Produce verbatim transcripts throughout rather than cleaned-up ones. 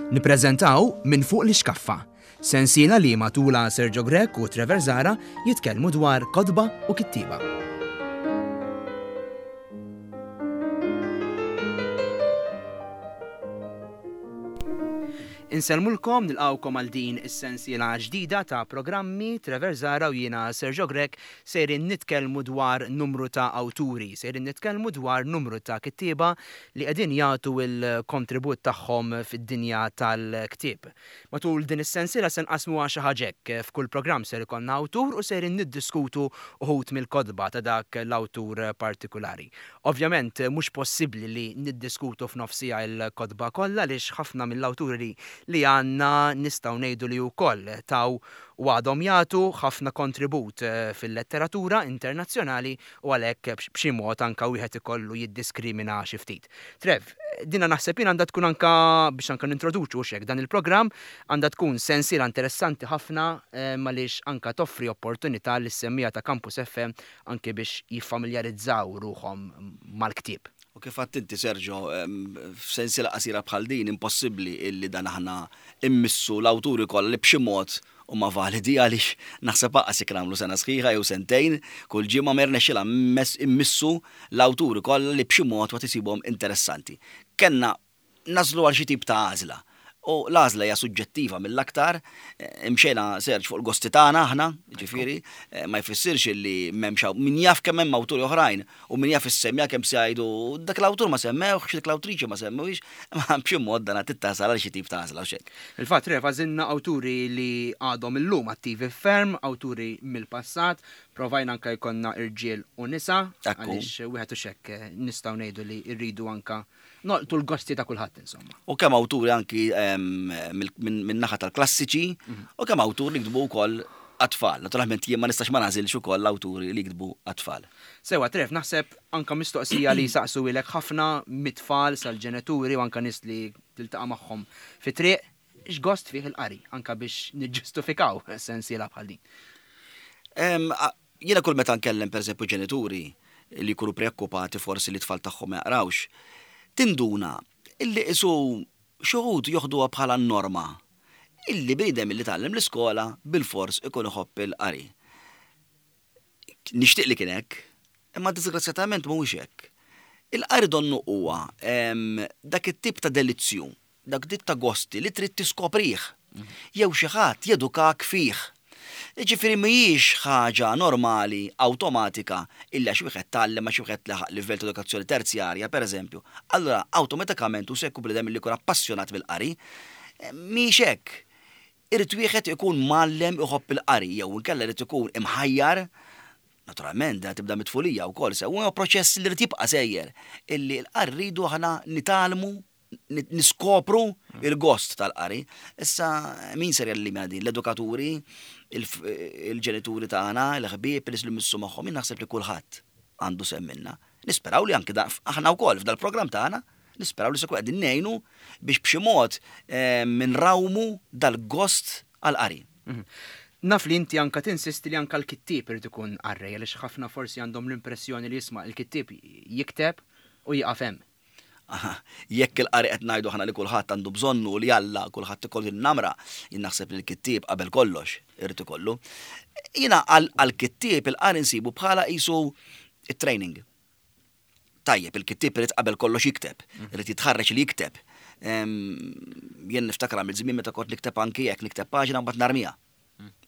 Nippreżentaw Minn Fuq l-Ixkaffa, sensiela li matula Sergio Grech u Trevor Zahra jitkellmu dwar kotba u kittieba. Insellmulkom, nilqgħukom għal din is-sensiela ġdida ta' programmi. Trevor Zahra u jiena Sergio Grech sejrin nitkellmu dwar numru ta' awturi, sejrin nitkellmu dwar numru ta' kittieba li qegħdin jagħtu l-kontribut tagħhom fid-dinja tal-ktieb. Matul din is-sensiela se nqasmuha xi ħaġa hekk, f'kull programm ser ikollna awtur u sejrin niddiskutu uħud mill-kotba ta' dak l-awtur partikulari. Ovvjament mhux possibbli li niddiskutu f'nofsija l-kotba kollha għaliex ħafna mill-awturi li, li għandna nistgħu ngħidu li wkoll taw u għadhom jagħtu ħafna kontribut, eh, fil-letteratura internazzjonali u għalhekk b'x-, b'xi mod anka wieħed ikollu jiddiskrimina xi ftit. Trev, dina naħseb jien għandha tkun anka biex anka nintroduċu xek dan il-programm, għandha tkun sensiela interessanti ħafna, eh, għaliex anka toffri opportunità lis-semmija ta' Campus F M anke biex jiffamiljarizzaw ruħhom mal-ktieb. U kif għedt inti, Sergio, em, f'sensiela qasira bħal din impossibbli illi dan aħna immissu l-awturi kollha li b'xi mod huma validi għaliex naħseb aqas jekk nagħmlu sena sħiħa jew sentejn, kull ġimgħa ma jirnexxilha mess-, immissu l-awturi kollha li b'xi mod ma tisibhom interessanti. Kellna nażlu għal xi tip ta' għażla. U l-għażla hija suġġettiva mill-aktar, eh, imxejna Serġ fuq il-gosti tagħna aħna, ġifieri, eh, ma jfissirx illi m'hemmx hawn, min jaf kemm hemm awturi oħrajn u min jaf issemmija kemm se jgħidu dak l-awtur ma semmewx, dik l-awtriċi ma semmewx, ma b'xi mod dan tittasal għal xi tip ta' għażla u xejn. Il-fatt Rev, għażilna awturi li għadhom illum attivi ferm, awturi mill-passat, provajna anka jkollna irġiel u nisa, Ekku. għaliex wieħed u xekk, eh, nistgħu ngħidu li rridu anka nolqtu l-gosti ta' kulħadd insomma. U kemm awturi anki, ehm, mill-, minn, minn naħa tal-klassiċi, Mhm. u kemm awturi li ktbu wkoll għat-tfal. Naturalment jien ma nistax ma nagħżilx ukoll awturi li ktbu għat-tfal. Sewa, Trev, naħseb anka mistoqsija li saqsu ilek ħafna mit-tfal sal-ġenituri u anka nies li tiltaqa' magħhom fi triq, x'gost fih il-qari, anka biex niġġustifikaw sensiela bħal din. Ehm, a-, jiena kull meta nkellem pereżempju ġenituri li jkunu preokkupati forsi li t-tfal tagħhom ma jaqrawx, tinduna illi isu xi wħud joħduha bħala norma illi bniedem illi tgħallem l-iskola bil-fors ikun iħobb il-qari. Nixtieq li kien hekk, imma disgrazzjatament mhuwiex hekk. Il-qari donnu huwa, em, dak it-tip ta' delizzju, dak tip ta' gosti li trid tiskoprih, jew xi ħadd jedukak fih. Ġifieri mhijiex ħaġa normali, awtomatika, illi għax wieħed tgħallem għax wieħed laħaq livell ta' edukazzjoni terzjarja, pereżempju, allura awtomatikament hu se jkun bniedem li jkun appassjonat mill-qari. Mhijiex hekk. Irid wieħed ikun mgħallem iħobb il-qari, jew inkella irid ikun imħajjar. Naturalment, da tibda mit-tfulija wkoll, se huwa proċess li rid jibqa' sejjer, illi l-qari rridu aħna nitgħallmu, ni-, niskopru il-gost tal-qari. Issa min ser jgħallimna din? L-edukaturi, il-f-, il-ġenituri tagħna, il-ħbieb, li missu magħhom, jien naħseb li kulħadd għandu sehem minna. Nisperaw li anke da-, aħna wkoll f'dal-programm tagħna, nisperaw li se jkun qegħdin ngħinu biex b'xi mod, eh, minrawmu dal-gost għall-qari. Mhm. Naf li inti anka tinsisti li anka l-kittieb irid ikun qarrej, għaliex ħafna forsi għandhom l-impressjoni li jisma' l-kittieb jikteb u jieqaf hemm. Aha, jekk il-qari qed ngħidu aħna li kulħadd għandu bżonnu li Alla kulħadd ikollu n-namra, jien naħseb li l-kittieb qabel kollox irid ikollu. Jiena għal-, għall-kittieb il-qari nsibu bħala qisu it-training. Tajjeb, il-kittieb irid qabel kollox jikteb, Mhm. irid jitħarreġ li jikteb. Em, jien niftakar għamil żmien meta kont nikteb anki jekk nikteb paġna mbagħad narmija.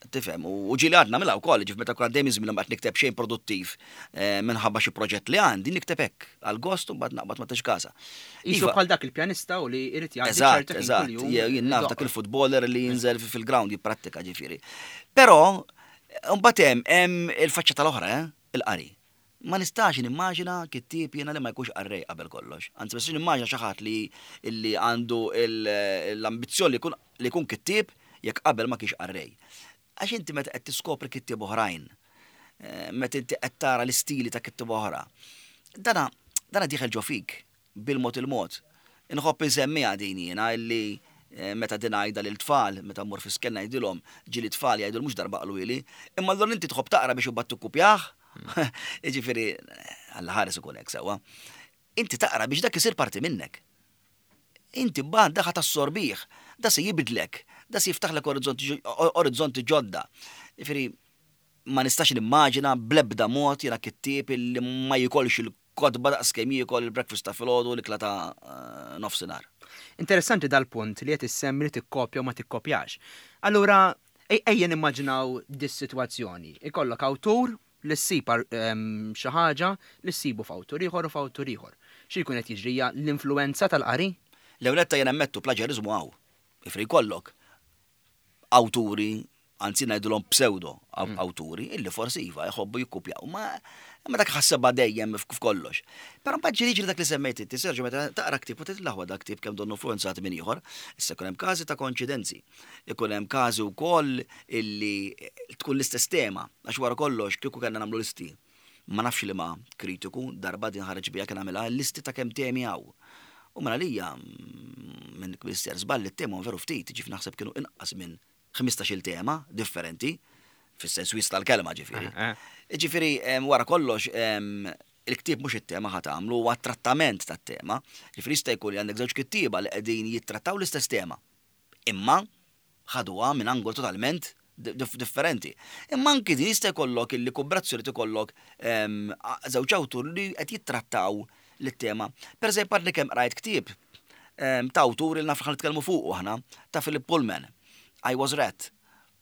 Tifhem, u, u ġieli għadna nagħmilha wkoll, ġif meta kont dejjem żmien mbagħad nikteb xejn produttiv, eh, minħabba xi proġett li għandi, nikteb hekk għall-gost u mbagħad naqbad ma tix kasa. Isu Iva. bħal dak il-pjanista u li jrid jgħaddi Eżatt, ċertu ħin eżatt. kuljum Jew jien naf dak idoqq. il-futboler li jinżel fi-, fil-ground jipprattika ġifieri. Però mbagħad hemm, hemm il-faċċata tal-oħra, eh, il-qari. Ma nistax nimmaġina kittieb jiena li ma jkunx qarrej qabel kollox. Anzi, ma nistax nimmaġina xi ħadd li, li għandu il-, l-ambizzjoni li jkun, li jkun kittieb jekk qabel ma kienx qarrej. Għax inti meta qed tiskopri kittieb oħrajn, eh, meta inti qed tara l-istili ta' kittieb oħra, dana, dana dieħel ġo fik bil-mod il-mod. Inħobb insemmiha din jiena illi, eh, meta din ngħidha lil tfal, meta mmur fi skenna ngħidilhom, ġieli tfal jgħidu mhux darba qaluli, imma allura inti tħobb taqra biex imbagħad tikkupjah. Jiġifieri, Alla ħares ikun hekk sewwa. Inti taqra biex dak isir parti minnek. Inti bad daħa tassorbih, da se jibdlek, da se jiftaħlek orizzonti ġodda. Jiġifieri, ma nistax nimmaġina bl-ebda mod jiena kittieb li ma jikolx il-kotba daqs kemm jiekol il-breakfast ta' filgħodu, l-ikla ta' eh, nofsinhar. Interessanti dal-punt li qed issemmi li tikkopja u ma tikkopjax. Allura, ejja nimmaġinaw dis-sitwazzjoni. Ikollok awtur li ssib xi ħaġa li ssibu f'awtur ieħor u f'awtur ieħor. Xi jkun qed jiġri, l-influenza tal-qari? L-ewwel jien nammettu, plaġerizmu hawn. Jiġifieri jkollok awturi, anzi ngħidulhom pseudo mm. awturi, illi forsi iva jħobbu jikkupjaw. Ma ma dak ħassebha dejjem f'kollox. Però mbagħad ġieli dak li semmejt inti, Sergio, meta taqra ktieb u tgħid, "L-aħwa, dak ktieb kemm donnu influenzat minn ieħor." Issa jkun hemm każi ta' koinċidenzi. Ikun hemm każi wkoll illi tkun l-istess tema, għax wara kollox kieku kellna nagħmlu listi. Ma nafx li ma kritiku darba din ħareġ bija kien għamilha listi ta' kemm temi hawn. U mela lija minn Minister żball, it-tema veru ftit, ġif naħseb kienu inqas minn ħmistax-il tema differenti, fis-sens wiesa' tal-kelma ġifieri. Eh, eh. Ġifieri, wara kollox, il-ktieb mhux it-tema ħa tagħmlu, huwa trattament tat-tema. Ġifieri jista' jkun li għandek żewġ kittieba li qegħdin jittrattaw l-istess tema. Imma ħaduha minn angol totalment differenti. Imma anki din jista' jkollok illi kombinazzjoni tikollok żewġ awtur li qed jittrattaw l-tema. Per eżempju, għadni kemm qrajt ktieb ta' awtur li naf nitkellmu fuq aħna, ta' Philip Pullman, I Was Rat.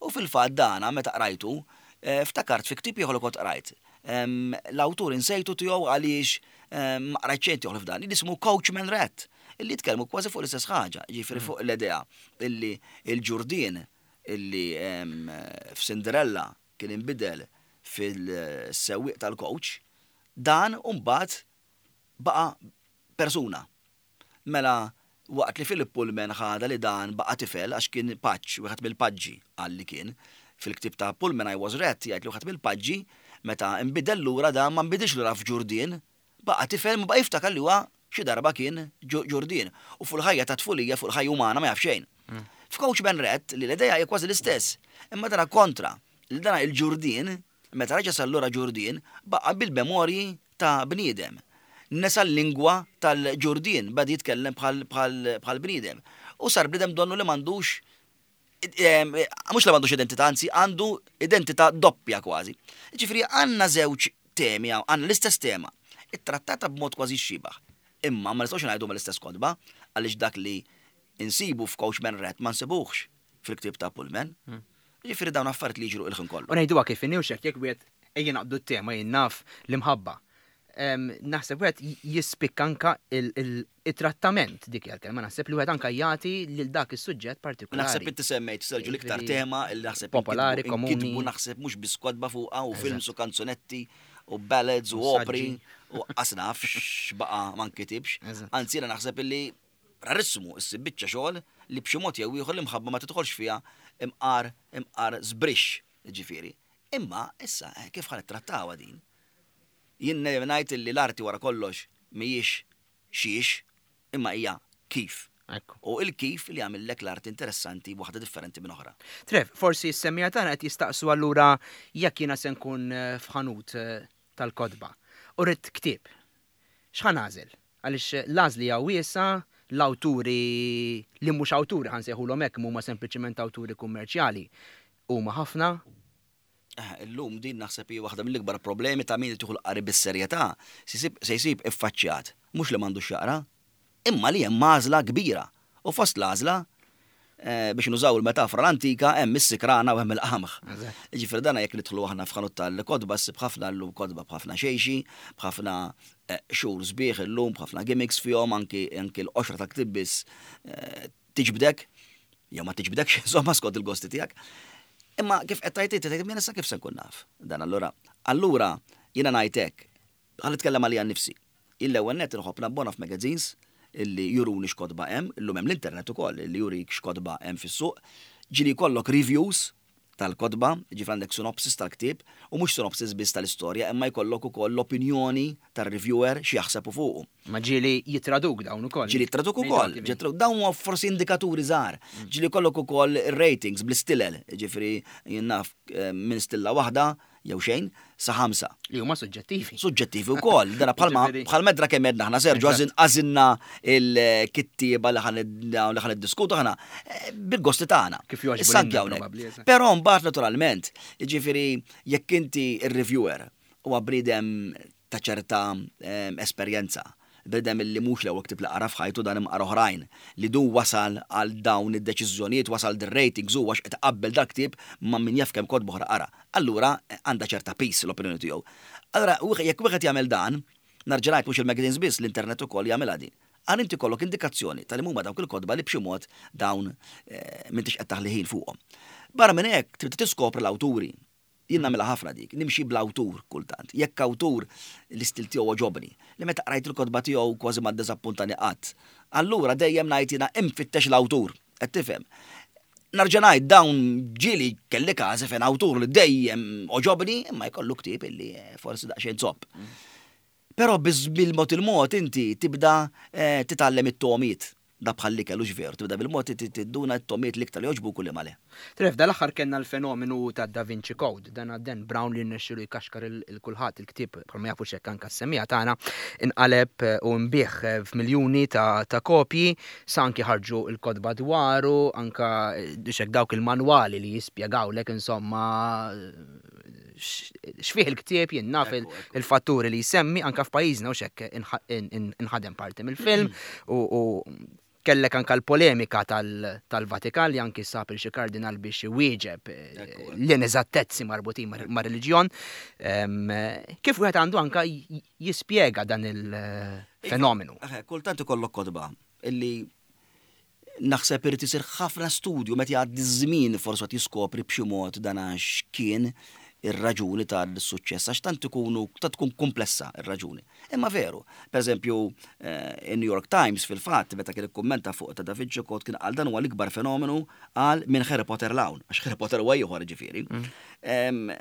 U fil-fatt dana meta qrajtu, eh, ftakart fi ktieb ieħor li kont qrajt. L-awtur insejtu tiegħu għaliex ma qrajt xejn tiegħu f'dan, li jismu Coachman Rat, illi jitkellmu kważi fuq l-istess ħaġa, ġifieri fuq l-idea illi il-ġurdien illi f'Cinderella kien inbidel fil-sewwieq tal-coach, dan mbagħad baqa' persuna. Mela, waqt li Philip Pullman ħada li dan baqa' tifel għax kien paġġ, wieħed mill-paġġi għal li kien. Fil-ktib ta' Pullman I Was Rat jgħid li wieħed mill-paġġi meta nbidel lura dan ma nbidilx lura f'ġurdien, baqa' tifel, ma baqa' jiftakar li huwa xi darba kien ġurdien. U fuq il-ħajja ta' tfulija, fuq il-ħajja umana ma jaf xejn. Mm. F'Coachman Rat li l-idea hija kważi l-istess, imma dana kontra, li dana il-ġurdien, meta reġa' sar lura ġurdien, baqa' bil-memorji ta' bniedem. Nesa l-lingwa tal-ġurdien, beda jitkellem bħal bniedem. U sar bniedem donnu li m'għandux, mhux li m'għandux identità, anzi għandu identità doppja kważi. Ġifieri għandna żewġ temi, għandna l-istess tema, ittrattata b'mod kważi xibah. Imma ma nistgħux ngħidu mal-istess kotba, għaliex dak li insibu f'Coachman Rat ma nsibuhx fil-ktib ta' Pullman. Hmm. Ġifieri dawn affarijiet li jiġru il-ħin kollu. U ngħiduha kif inhi, jekk wieħed, ejja naqbdu t-tema, jien naf, l-imħabba. Naħseb wieħed jispikka anka il-trattament, dik hija l-kelma, naħseb li wieħed anka jagħti lil dak is-suġġett partikolari. Naħseb inti semmejt, Sergio, l-iktar tema li naħseb popolari, komuni. Naħseb mhux biss kotba fuqha u films u kanzunetti u ballads u opri u qasnaf x'baqa' ma nkitibx. Anzi, jiena naħseb illi rarissimu issib biċċa xogħol li b'xi mod jew ieħor l-imħabba ma tidħolx fiha imqar imqar żbrix, ġifieri. Imma issa eh, kif ħa nittrattawha din? Jien ngħid li l-arti wara kollox mhijiex xiex, imma hija kif. U il-kif li għamillek l-art interessanti, waħda differenti minn oħra. Trev, forsi s-semmiegħa tagħna qed jistaqsu, allura jekk jiena se nkun eh, f'ħanut eh, tal-kotba u rrid ktieb. X'ħa nagħżel? Għaliex l-għażla hija wiesgħa, l-awturi li mhux awturi, ħa nsejħulhom hekk, huma sempliċement awturi kummerċjali, huma ħafna. Eh, illum din naħseb hija waħda mill-ikbar problemi ta' min tieħu l-qari bis-serjetà, se jsib iffaċċjat mhux li m'għandux jaqra, imma li hemm għażla kbira. U fost l-għażla, eh, biex nużaw il-metafora l-antika, hemm is-sikrana u hemm il-qamħ. Ġifieri dana jekk nidħlu aħna f'ħanut tal-kotba ssib ħafna llum kotba b'ħafna xejxi, b'ħafna eh, xhur sbieħ illum, b'ħafna gimmicks fihom, anki anki l-qoxra ta' ktieb biss eh, tiġbdek, jew ma tiġbdekx, insomma, skont il-gosti tiegħek. Imma kif qed tgħid inti, tgħid issa kif se nkun naf. Dan allura, allura jiena ngħid hekk, ħa nitkellem għalija nnifsi. Il-ewwel net inħobb nabbona f'magazines illi juruni x'kotba hemm, illum hemm l-internet ukoll illi jurik x'kotba hemm fis-suq. Ġieli jkollok reviews tal-kotba, ġifieri għandek synopsis tal-ktieb, u mhux synopsis biss tal-istorja, imma jkollok ukoll l-opinjoni tar-reviewer xi jaħseb fuqu. Ma ġieli jitraduk dawn ukoll. Ġieli jitraduk ukoll, dawn huma forsi indikaturi żgħar. Ġieli jkollok ukoll ratings bl-istilel, ġifieri jien naf eh, minn stilla waħda jew xejn sa ħamsa. Li huma suġġettivi. Suġġettivi wkoll. Dana bħalma Ġifieri- bħal medra kemm għedna aħna, Sergio, Eżatt. għażilna il-kittieba li ħan li ħan iddiskutu aħna eh, bil-gosti tagħna. Kif jogħġbu Issa anke lilna hawnhekk. probabbli, eżatt. Però mbagħad naturalment, jiġifieri jekk inti ir-reviewer huwa bniedem ta' ċerta em, esperjenza, bniedem li mhux l-ewwel ktieb li qara f'ħajtu, dan imqar oħrajn, li du wasal għal dawn id-deċiżjonijiet, wasal dir-ratings u għax qed qabbel dak ktieb ma' min jaf kemm kotba oħra qara. Allura eh, għandha ċerta piż l-opinjoni tiegħu. Allura wieħed- jekk wieħed jagħmel dan, nerġa' ngħid mhux il-magazines biss, l-internet ukoll jagħmilha din. Għal inti kollok indikazzjoni tal huma dawk il-kotba li b'xi mod dawn eh, m'intix qed taħli ħin fuqhom. Barra minn hekk trid tiskopri l-awturi. Jien nagħmilha ħafna dik, nimxi bl-awtur kultant. Jekk awtur l-istil tiegħu għoġobni, li meta qrajt il-kotba tiegħu kważi ma ddiżappuntani qatt. Allura dejjem ngħid jiena infittex l-awtur, qed tifhem. Nerġa' ngħid, dawn ġieli kelli każi fejn awtur li dejjem għoġobni imma jkollu ktieb illi eh, forsi daqsxejn zopp. Però biz bil-mod il-mod inti tibda eh, titgħallem it-togħmiet. Da bħalli kellux veru, tibda bil-mod tinduna t-togħmiet l-iktar li jogħġbu kulli male. Trev, dal-aħħar kellna l-fenomenu ta' Da Vinci Code, dan Dan Brown li rnexxielu jkaxkar il- il-kulħadd. Il-ktieb, bħalma jafu xek anka s-semmiegħa tagħna, inqaleb eh, u nbiegħ eh, f'miljuni ta' ta' kopji, sa anki ħarġu il-kotba dwaru, anka eh, xek dawk il-manwali li jispjegawlek insomma x- x'fih il-ktieb, jien naf il- Ekku, ekku. il-fatturi li jsemmi, anka f'pajjiżna u xek inħa- in- in- inħadem parti mill-film u u kellek anka l-polemika tal- tal-Vatikan li anki sab il xi kardinal biex iwieġeb eh, Ekku, ekku. l-ineżattezzi marbutin mar- ma' reliġjon. Em, Kif wieħed għandu anka j- jispjega dan il-fenomenu? Eħe, kultant ikollok kotba illi naħseb irid isir ħafna studju meta jgħaddi żmien, forsi qed jiskopri b'xi mod dan għax kien ir-raġuni tal-suċċess, għax tant ikunu ta' tkun komplessa ir-raġuni. Imma veru, per eżempju, eh, in New York Times fil-fatt meta kien ikkummenta fuq ta' Da Vinci Code kien qal dan huwa l-ikbar fenomenu għal minn Harry Potter 'l hawn, għax Harry Potter huwa ieħor ġifieri. Em,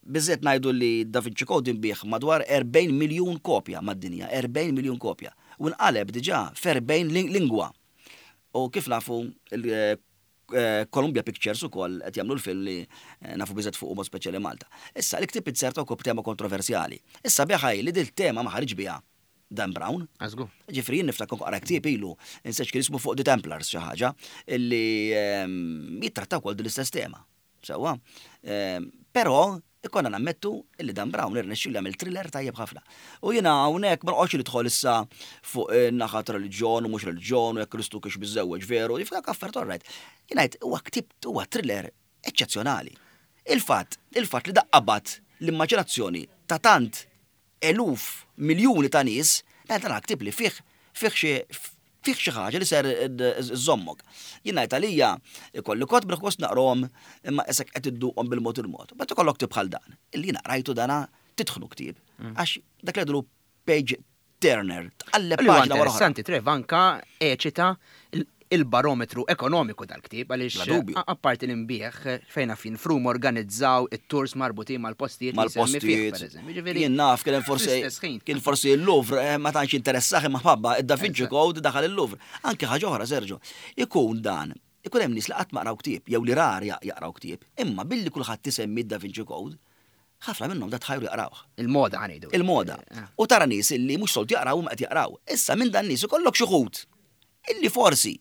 Biżżejjed ngħidu li Da Vinci Code inbiegħ madwar erbgħin miljun kopja mad-dinja, erbgħin miljun kopja. U nqaleb diġà f'erbgħin ling- lingwa. U kif nafu il- eh, Columbia Pictures ukoll qed jagħmlu l-film li eh, nafu biżżejjed fuq mod speċjali Malta. Issa l-ktieb inzerta wkoll tema kontroversjali. Issa beħaj li dil tema ma ħareġ biha Dan Brown. Għażgur. Ġifieri jien niftakar qara ktieb ilu, insejt kien ismu, fuq The Templars xi ħaġa, illi ehm, jittrattaw wkoll din l-istess tema. Sewwa. Ehm, Però ikonna nammettu illi Dan Brown irnexxielu jagħmel thriller tajjeb ħafna. U jiena hawnhekk ma noqgħodx nidħol issa fuq eh, naħa ta' reliġjon u mhux reliġjon u jekk Kristu kienx miżżewweġ veru, jiftak affarijiet, all right. Jien ngħid huwa ktieb, huwa thriller eċċezzjonali. Il-fatt, il-fatt li daqqabat l-immaġinazzjoni ta' tant eluf, miljuni ta' nies, dan ktieb li fih fih xi fih xi ħaġa li ser żommok. Jien ngħid għalija ikolli kotba gost naqrahom imma isek qed idduqhom bil-mod il-mod. Ma ikollok ktieb bħal dan. Illi jiena qrajtu dana titħnu ktieb. Għax dak li jgħidulu page turner, tqalleb Li huwa paġna wara oħra. interessanti, Trev, anka eċita il- il-barometru ekonomiku dal-ktieb, għaliex Bla dubju. a- apparti l-imbieħ fejna fin frum organizzaw it-tours marbutin mal-postijiet li jsemmi fih, mal-postijiet. per eżempju. Ġifieri, Jien naf kien hemm forsi fl-istess ħin. kien forsi il-Louvre eh, ma tantx interessah imma ħabba id-Da Vinci Code daħal il-Louvre. Anke ħaġa oħra, Sergio, ikun dan ikun hemm nies li qatt ma qraw ktieb jew li rar ja- jaqraw ktieb, imma billi kulħadd isemmi da Vinci Code, ħafna minnhom da tħajru jaqrawh. Il-moda ħa ngħidu. Il-moda. Eh, U tara nies illi mhux soltu jaqraw ma qed jaqraw. Issa minn dan nies ikollok xi wħud illi forsi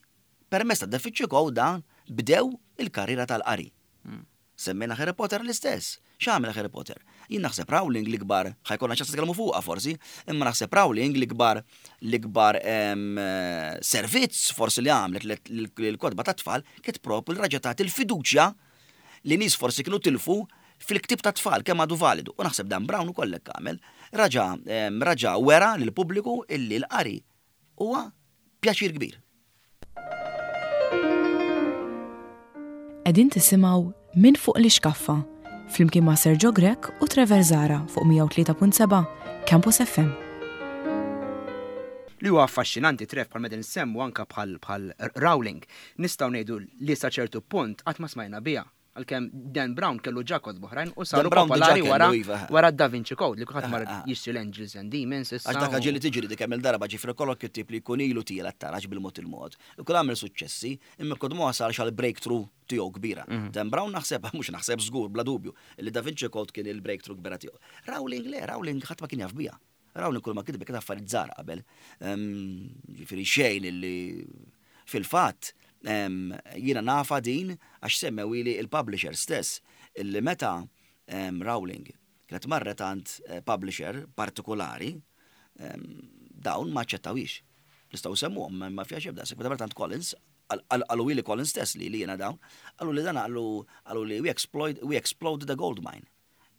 permezz ta' Da Vinci Code dan bdew il-karriera tal-qari. Semmejna Harry Potter l-istess. X'għamel Harry Potter? Jien naħseb Rowling l-ikbar, ħa jkollna ċans nitkellmu fuqha forsi, imma naħseb Rowling l-ikbar l-ikbar em, eh, servizz forsi li għamlet l-kotba ta' tfal kiet propju l-raġa tagħti il-fiduċja li nies forsi kienu tilfu fil-ktib ta' tfal kemm għadu validu. U naħseb Dan Brown ukoll hekk għamel. Raġa em, raġa wera lill-pubbliku illi l-qari huwa pjaċir kbir. Qegħdin tisimgħu Minn fuq l-ixkaffa flimkien ma' Sergio Grech u Trevor Zara fuq mija u tlieta punt seba' Campus F M. Li huwa affaxxinanti, Trev, bħal meta nsemmu anka bħal bħal Rowling, nistgħu ngħidu li sa ċertu punt qatt ma smajna biha. Għalkemm Dan Brown kellu ġa kotba oħrajn u saru popolari wara iva. wara Da Vinci Code li kulħadd mar ah, ah. jixtri l-Angels and Demons issa. Għax dak ġieli tiġri dik hemm il-darba ġifri kollok kittib li jkun ilu tiela taraġ bil-mod il-mod. Ikun għamel suċċessi, imma kod ma wasalx għal breakthrough tiegħu kbira. Mhm. Dan Brown naħseb, mhux naħseb żgur bla dubju, li Da Vinci Code kien il-breakthrough kbira tiegħu. Rowling le, Rowling ħadd ma kien jaf biha. Rowling kull ma kitbet kien affarijiet żgħar qabel. Ġifieri xejn illi fil-fatt jiena nafa din għax semmewili il-publisher stess illi meta Rowling kienet marret għand eh, publisher partikolari dawn ma aċċettawhiex. Nistgħu semmuhom ma fiha xebda, meta marret għand Collins, qalu li Collins stess li li jiena dawn, qalu li dan qalu li we exploit we explode the gold mine.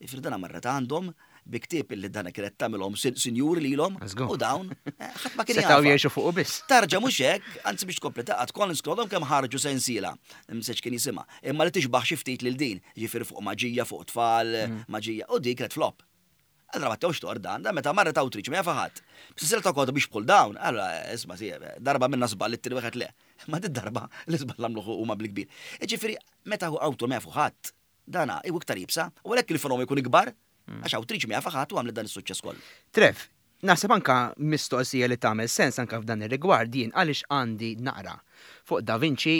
Ifri dana marret għandhom bi ktieb illi dana kienet tagħmilhom sinjuri lilhom u dawn eh, ħadd ma kien Setgħu jgħixu fuq biss. Tarġa mhux hekk, anzi biex tkompli taqgħod Collins kellhom kemm ħarġu sensiela, mseċ kien jisimha, imma li tixbaħ xi ftit lil din, ġifieri fuq maġija, fuq tfal, mm. maġija, u dik kienet flop. Allora ma tewx tor dan, dan meta marret awtriċi ma jafa ħadd. B'silsiela ta' kotba biex bħal dawn, allora isma' darba minna żball it-tieni wieħed le. Ma di darba l-iżball għamluh huma bil-kbir. Ġifieri meta hu awtur ma jafu ħadd, dana iwu iktar jibsa, u għalhekk il-fenomenu jkun ikbar, għax awtriċi ma jafa ħadd u għamlet dan is-suċċess kollu. Trev, naħseb anka mistoqsija li tagħmel sens anka f'dan ir-rigward jien għaliex għandi naqra fuq Da Vinci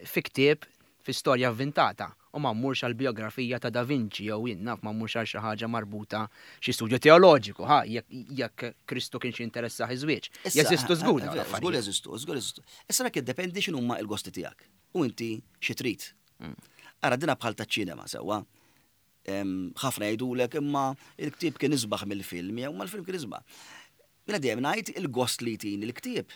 fi ktieb fi storja avvintata u ma mmurx għal biografija ta' Da Vinci jew jien naf ma mmurx għal xi ħaġa marbuta xi studju teoloġiku, ha, jekk Kristu kien xi interessa iż-żwieġ. Jeżistu żgur. Żgur jeżistu, żgur jeżistu. Issa dak jiddependi x'inhuma l-gosti tiegħek u inti xi trid. Mm. Ara dina bħal taċ-ċinema sewwa. Ħafna jgħidulek imma il-ktieb kien isbaħ mill-film jew ma l-film kien isbaħ. Jiena dejjem ngħid il-gost li jtini il-ktieb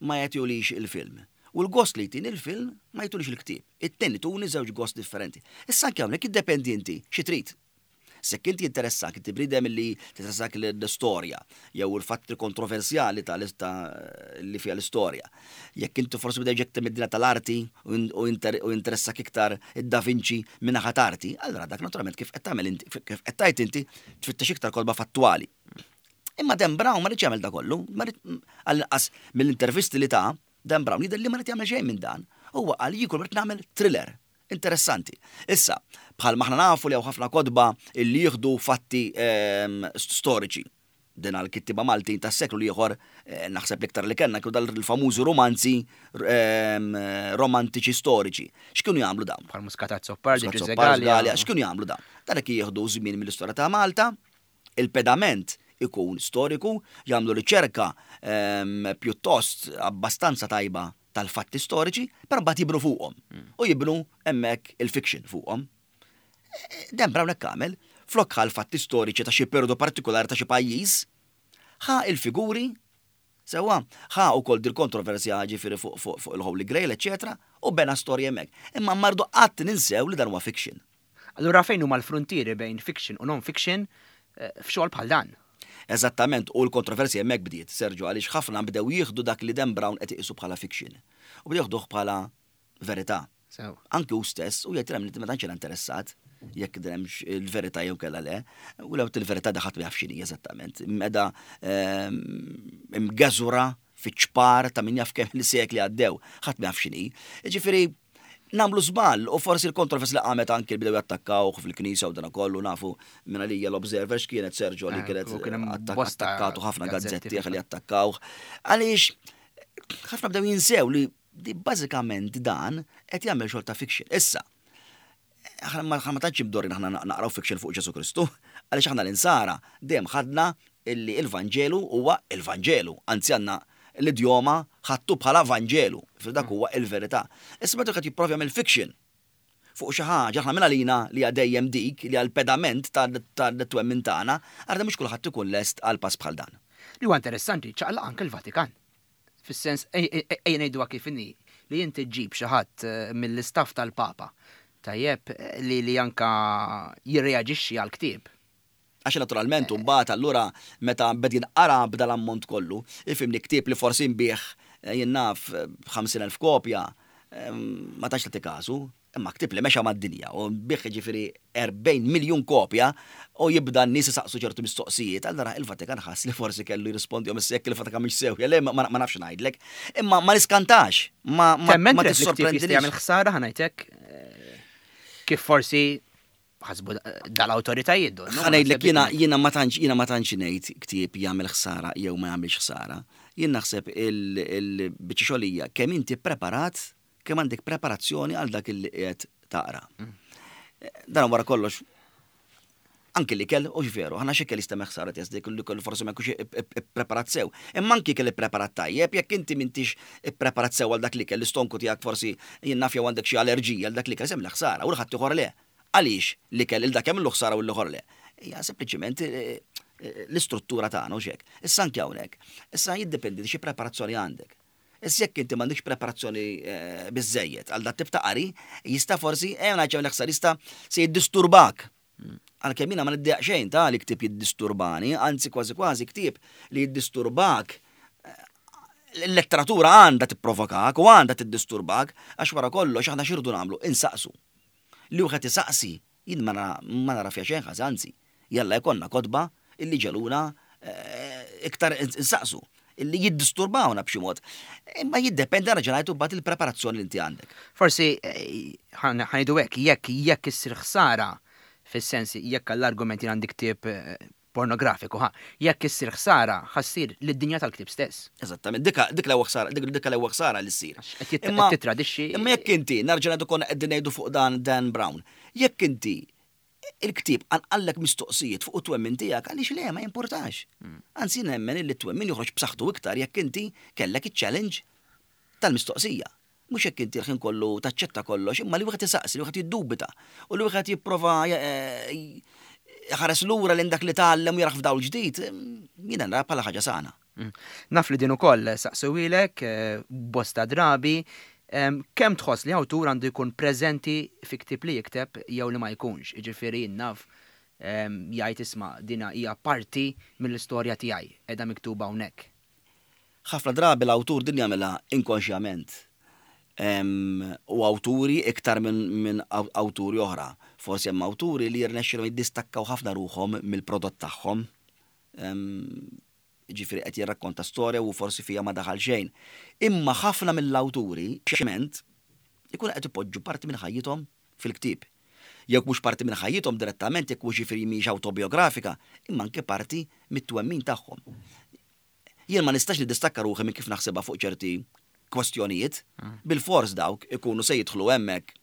ma jagħtihulix il-film. U l-gost li jtini il-film ma jtulix il-ktieb. It-tnejn ituni żewġ gost differenti. Issa anke hawnhekk jiddependi inti xi trid. Jekk inti interessak, inti bniedem li tinteressak l-istorja, jew il-fatti kontroversjali ta' li fiha l-istorja. Jekk inti forsi bdej ġekta mid-dinja tal-arti u interessak iktar id-Da Vinci minn arti, allora dak naturalment kif qed tagħmel inti, kif qed tgħid inti tfittex iktar kotba fattwali. Imma Dan Brown ma riedx jagħmel da kollu, għall-inqas mill-intervisti li ta' Dan Brown jidher li ma ried jagħmel xejn minn dan. Huwa qal jien kull nagħmel thriller interessanti. Issa, bħal maħna nafu li hawn ħafna kotba illi jieħdu fatti ehm, storiċi. Din għal-kittiba Maltin tas seklu l-ieħor eh, naħseb l-iktar li kellna kienu dal-famużi romanzi ehm, romantiċi storiċi. X'kienu jagħmlu dawn? Bħal Muscat Azzopardi, Galea. X'kienu jagħmlu dawn? Dan jieħdu żmien mill-istorja ta' Malta, il-pedament ikun storiku, jagħmlu riċerka ehm, pjuttost abbastanza tajba tal-fatti storiċi, però mbagħad jibnu fuqhom. Mm. U jibnu hemmhekk il-fiction fuqhom. Dan Brown hekk għamel, flok ħa l-fatti storiċi ta' xi periodu partikolari ta' xi pajjiż, ħa il-figuri, sewwa, ħa ukoll dil-kontroversja ġifieri fuq fuq fuq il-Holy Grail, eċetera, u bena storja hemmhekk. Imma mardu qatt ninsew li dan huwa fiction. Allura fejn huma l-frontieri bejn fiction u non-fiction eh, f'xogħol bħal dan? Eżattament, u l-kontroversja hemmhekk bdiet, Sergio, għaliex ħafna bdew jieħdu dak li Dan Brown qed iqisu bħala fiction. U bdew jieħduh bħala verità. Anki hu stess, u jgħid li ma tantx interessat jekk hemmx il-verità jew kella le, u lew il-verità daħat ma jafx x'inhi eżattament. Meda ehm, imgeżura fiċ-ċpar ta' min jaf kemm il-sekli għaddew, ħadd ma jaf x'inhi. Ġifieri nagħmlu żball u forsi l-kontrovers li qamet anki bdew jattakkawh fil-knisja u dana kollu nafu minn għalija l-Observer x'kienet Sergio li eh, kienet attakkatu ħafna gazzetti li attakkawh. Għaliex ħafna bdew jinsew li di bażikament dan qed jagħmel xogħol ta' fiction. Issa, aħna ma ma tantx imdorrin aħna naqraw fiction fuq Ġesu Kristu, għaliex aħna l-insara dejjem ħadna illi il-Vanġelu huwa il-Vanġelu, anzi għandna l-idjoma ħattu bħala Vanġelu, dak huwa il-verità. Issa meta qed jipprova jagħmel fiction fuq xi ħaġa aħna minn għalina li dejjem dik li għal pedament tat-twemmin tagħna, għarda mhux kulħadd ikun lest għal pass bħal dan. Li huwa interessanti ċaqlaq anke l-Vatikan. Fis-sens ejja ngħiduha kif inhi li inti ġġib xi ħadd eh, mill-istaff tal-Papa. Tajjeb li li anka jirreaġixxi għal ktieb. Għax naturalment mbagħad allura meta bed jinqara b'dal ammont kollu, ifhimni ktieb li forsi nbih eh, jien naf ħamsin elf kopja, eh, ma tax tagħti kasu, imma ktieb li mexa mad-dinja u nbih ġifieri erbgħin miljun kopja u jibda n-nies isaqsu ċertu mistoqsijiet, allura il-Vatikan ħass li forsi kellu jirrispondihom issa jekk il-Vatikan mhix sew, le ma ma nafx ngħidlek, imma ma niskantax, ma ma Temmen ma Trev li ktieb jista' tissorprendinix. jagħmel ħsara ħa ngħidlek. Kif forsi ħasbu dal-awtoritajiet. Ħa ngħidlek jiena jiena ma tantx jiena ma tantx ngħid ktieb jagħmel ħsara jew ma jagħmilx ħsara. Jien naħseb il-biċċa xogħlija kemm inti preparat, kemm għandek preparazzjoni għal dak li qiegħed taqra. Mm. Dan wara kollox anki l-ikel, u veru, ħana xi jista' ħsara jesdik li kollu forsi ma jkunx ippreparat sew. Imma anki ikel ippreparat tajjeb, jekk inti m'intix ippreparat sew għal dak l-ikel, l-istonku tiegħek forsi jien naf jew għandek xi allerġija għal dak l-ikel jagħmel ħsara u l-ħadd ieħor le. Għaliex l-ikel il dak jagħmlu ħsara u l-ieħor le? Hija sempliċiment eh, eh, l-istruttura tagħna u xek. Issa anke hawnhekk. Issa jiddependi xi preparazzjoni għandek. Issa jekk inti m'għandekx preparazzjoni eh, biżejjed għal dat tip ta' qari, jista' forsi eh ngħid ħsara jista' se jiddisturbak. Għalkemm jiena ma niddejjaq xejn ta' li ktieb jiddisturbani, anzi kważi kważi ktieb li jiddisturbak l-letteratura għandha tipprovokak u għandha tiddisturbak għax wara kollox aħna x'irridu nagħmlu insaqsu. Li wieħed isaqsi jien ma nara fiha xejn ħażin, anzi, jalla jkollna kotba illi ġeluna eh, iktar insaqsu illi jiddisturbawna b'xi mod. Imma jiddependi raġunajtu bat il-preparazzjoni li inti għandek. Forsi eh, ħa ngħidu hekk jekk jekk issir ħsara fis-sens jekk għall-argument jien għandi ktieb eh, pornografiku, ha, jekk issir ħsara, ħa ssir lid-dinja tal-ktieb stess. Eżattament, dik l-ewwel ħsara, dik l-ewwel ħsara li ssir. Imma titradixxi. Imma jekk inti, nerġa' ngħidu konna qegħdin ngħidu fuq dan Dan Brown, jekk inti il-ktieb qanqallek mistoqsijiet fuq it-twemmin tiegħek għaliex le ma jimpurtax. Hmm. Anzi nemmen li t-twemmin joħroġ b'saħħtu iktar jekk inti kellek iċ-challenge tal-mistoqsija. Mhux jekk inti l-ħin kollu taċċetta kollox, imma li wieħed isaqsi, li wieħed jiddubita u li wieħed jipprova eh, ħares lura lejn dak li tgħallem u jarah f'dawl ġdid, jiena nara bħala ħaġa sana. Mm. Naf li din ukoll saqsewilek eh, bosta drabi, kemm tħoss li awtur għandu jkun preżenti fi ktieb li jikteb jew li ma jkunx, jiġifieri naf jgħid isma' dina hija parti mill-istorja tiegħi qiegħda miktuba hawnhekk. Ħafna drabi l-awtur din jagħmilha inkonxjament. U awturi iktar minn awturi oħra. Forsi hemm awturi li jirnexxilhom jiddistakkaw ħafna ruħhom mill-prodott tagħhom. Ġifieri qed jirrakkonta storja u forsi fija ma daħal xejn. Imma ħafna mill-awturi xement ikun qed ipoġġu parti minn ħajjithom fil-ktieb. Jekk mhux parti minn ħajjithom direttament, jekk mhux ġifieri mhix awtobiografika, imma anke parti mit-twemmin tagħhom. Jien ma nistax niddistakka ruħi minn kif naħsebha fuq ċerti kwestjonijiet, bil-fors dawk ikunu se jidħlu hemmhekk.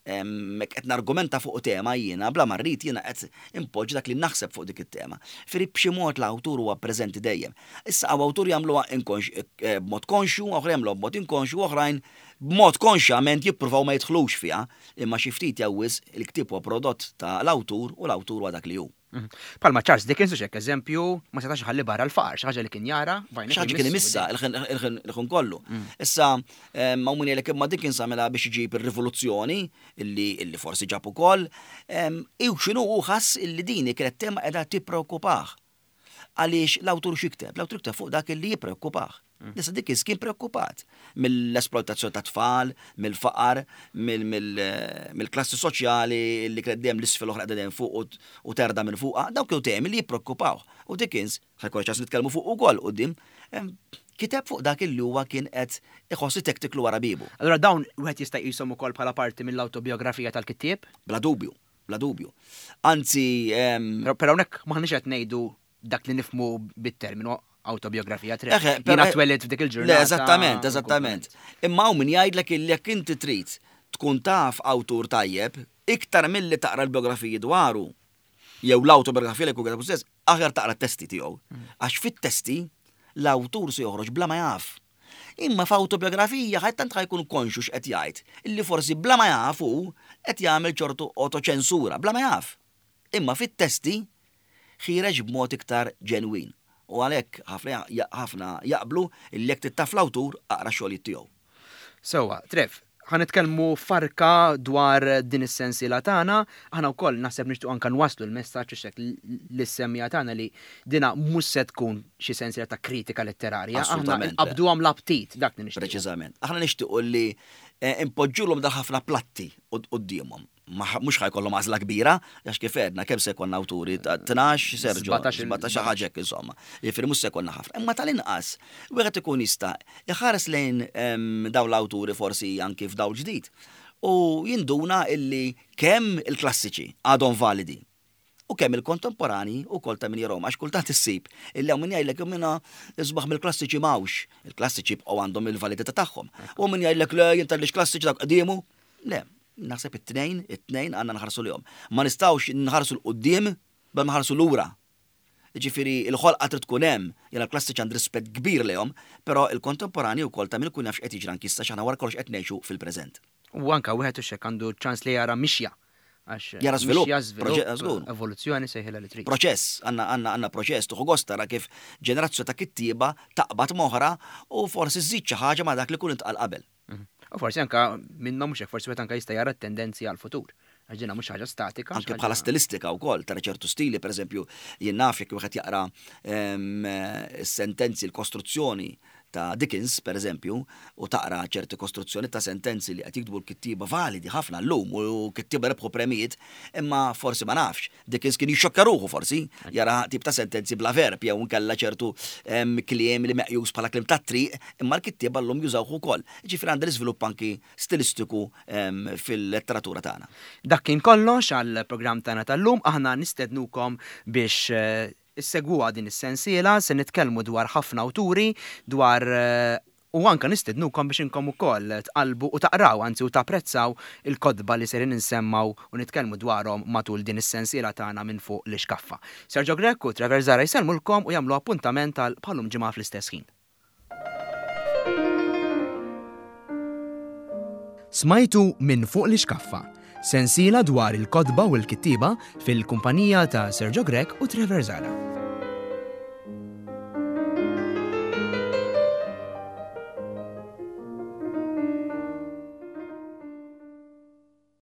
Hemmhekk qed nargumenta fuq tema jiena bla ma rrid jiena qed impoġġi dak li naħseb fuq dik it-tema. Firri b'xi mod l-awtur huwa preżenti dejjem. Issa hawn awtur jagħmluha eh, b'mod konxju, oħra jagħmluha b'mod inkonxju, oħrajn b'mod konxjament jippruvaw ma jidħlux fiha, imma xi ftit jew wisq il-ktieb huwa prodott ta' l-awtur u l-awtur huwa dak li hu. Bħalma Charles Dickens u xek eżempju ma setax ħalli barra l-faqar, xi ħaġa li kien jara, xi ħaġa kien imissa il-ħin kollu. Mm. Issa ma min jgħidlek imma Dickens għamilha biex iġib ir-rivoluzzjoni illi forsi ġab ukoll. Iw x'inhu hu ħass illi dini kienet tema qiegħda tippreokkupah. Għaliex l-awtur x'ikteb? L-awtur jikteb fuq dak illi jippreokkupah. Mm. Issa Dickens kien preokkupat mill-esploitazzjoni ta' tfal, mill-faqar, mill-klassi soċjali li kienet dejjem l-isfel oħra dejjem fuq u terda minn fuqha, dawk kienu temi li jippreokkupaw. U Dickens, ħa jkollna ċans nitkellmu fuq ukoll quddiem, kiteb fuq dak illi huwa kien qed iħossi tektiklu wara bibu. Allura dawn wieħed jista' jqishom ukoll bħala parti mill-awtobiografija tal-kittieb? Bla dubju, bla dubju. Anzi, Però hawnhekk m'aħniex qed ngħidu dak li nifhmu bit-terminu autobiografija tre. Jiena twelidt f'dik il-ġurnata. Le, eżattament, eżattament. Imma hawn min jgħidlek illi jekk inti trid tkun taf awtur tajjeb, iktar milli taqra l-biografiji dwaru, jew l-autobiografija li jkun kiteb stess, aħjar taqra t-testi tiegħu. Mm. Għax fit-testi l-awtur se joħroġ bla ma jaf. Imma f'autobiografija ħajt tant ħajkun konxu x'qed jgħid, illi forsi bla ma jaf hu qed jagħmel ċertu autoċensura, bla ma jaf. Imma fit-testi ħiereġ b'mod iktar ġenwin. U għalhekk ħafna jaqblu illi jekk trid taf l-awtur aqra xogħlijiet tiegħu. Sewwa, Trev, ħa nitkellmu farka dwar din is-sensiela tagħna, aħna wkoll naħseb nixtiequ anke nwasslu l-messaġġ hekk lis-semmiegħa tagħna li dina mhux se tkun xi sensiela ta' kritika letterarja, aħna nqabduhom l-aptit dak li nixtiequ. Preċiżament. Aħna nixtiequ li eh, impoġġulhom dal ħafna platti quddiemhom. Mhux ħa jkollhom għażla kbira, għax kif għedna kemm se jkollna awturi ta' tnax, Sergio, sbatax ħaġa hekk insomma. Jiġifieri mhux se jkollna ħafna. Imma tal-inqas, wieħed ikun jista' iħares lejn dawn l-awturi forsi anki f'dawl ġdid. U jinduna illi kemm il-klassiċi għadhom validi u kemm il-kontemporani u kol ta' min jarahom, għax kultant issib illi hawn min jgħidlek minna isbaħ mill-klassiċi m'hawnx, il-klassiċi bqgħu għandhom il-validità tagħhom. U min jgħidlek le jien tal klassiċi dak qdiemu, le, naħseb it-tnejn, it-tnejn għandna nħarsu lihom. Ma nistgħux nħarsu 'l quddiem bla ma nħarsu lura. Ġifieri il-ħolqa trid tkun hemm, jiena l-klassiċi għandi rispett kbir lejhom, però il-kontemporani wkoll ta' min ikun jaf x'qed jiġri anki issa x'aħna wara kollox qed ngħixu fil-preżent. U anka wieħed hux hekk għandu ċans li jara mixja. Għax Jara żvilupp, mixja, żvilupp, proġett, żgur. evoluzzjoni sejħilha li trid. Proċess, għandna għandna għandna proċess, tuħu gost tara kif ġenerazzjoni ta' kittieba taqbad m'oħra u forsi żżid xi ħaġa ma' dak li kun intqal qabel. Mhm. U forsi anka minnhom mhux hekk, forsi wieħed anka jista' jara tendenzi għal-futur. Għax dina mhux ħaġa statika. Anke xi bħala ħaġa- stilistika wkoll tara ċertu stili, per eżempju, jien naf jekk wieħed jaqra em, sentenzi l-kostruzzjoni ta' Dickens, per eżempju, u taqra ċerti kostruzzjoni ta' sentenzi li qed jiktbu l-kittieba validi ħafna llum u kittieba rebħu premijiet, imma forsi ma nafx. Dickens kien jixxokka ruħu forsi, jara tip ta' sentenzi bla verb jew nkella ċertu em, kliem li meqjus bħala kliem ta' triq, imma l-kittieba llum jużawh ukoll. Ġifieri għandha l-iżvilupp anki stilistiku em, fil-letteratura tagħna. Dak kien kollox għal programm tagħna tal-lum, aħna nistednukom biex eh, issegwuha din is-sensiela, se nitkellmu dwar ħafna awturi, dwar eh, u anka nistednukom biex inkom ukoll tqalbu u taqraw, anzi u tapprezzaw il-kotba li serin insemmaw u nitkellmu dwarhom matul din is-sensiela tagħna minn fuq l-ixkaffa. Sergio Grech u Trevor Zahra jsellmulkom u jagħmlu appuntament għal bħal-lum ġimgħa fl-istess ħin. Smajtu minn fuq l-ixkaffa, sensiela dwar il-kotba u l-kittieba fil-kumpanija ta' Sergio Grech u Trevor Zahra.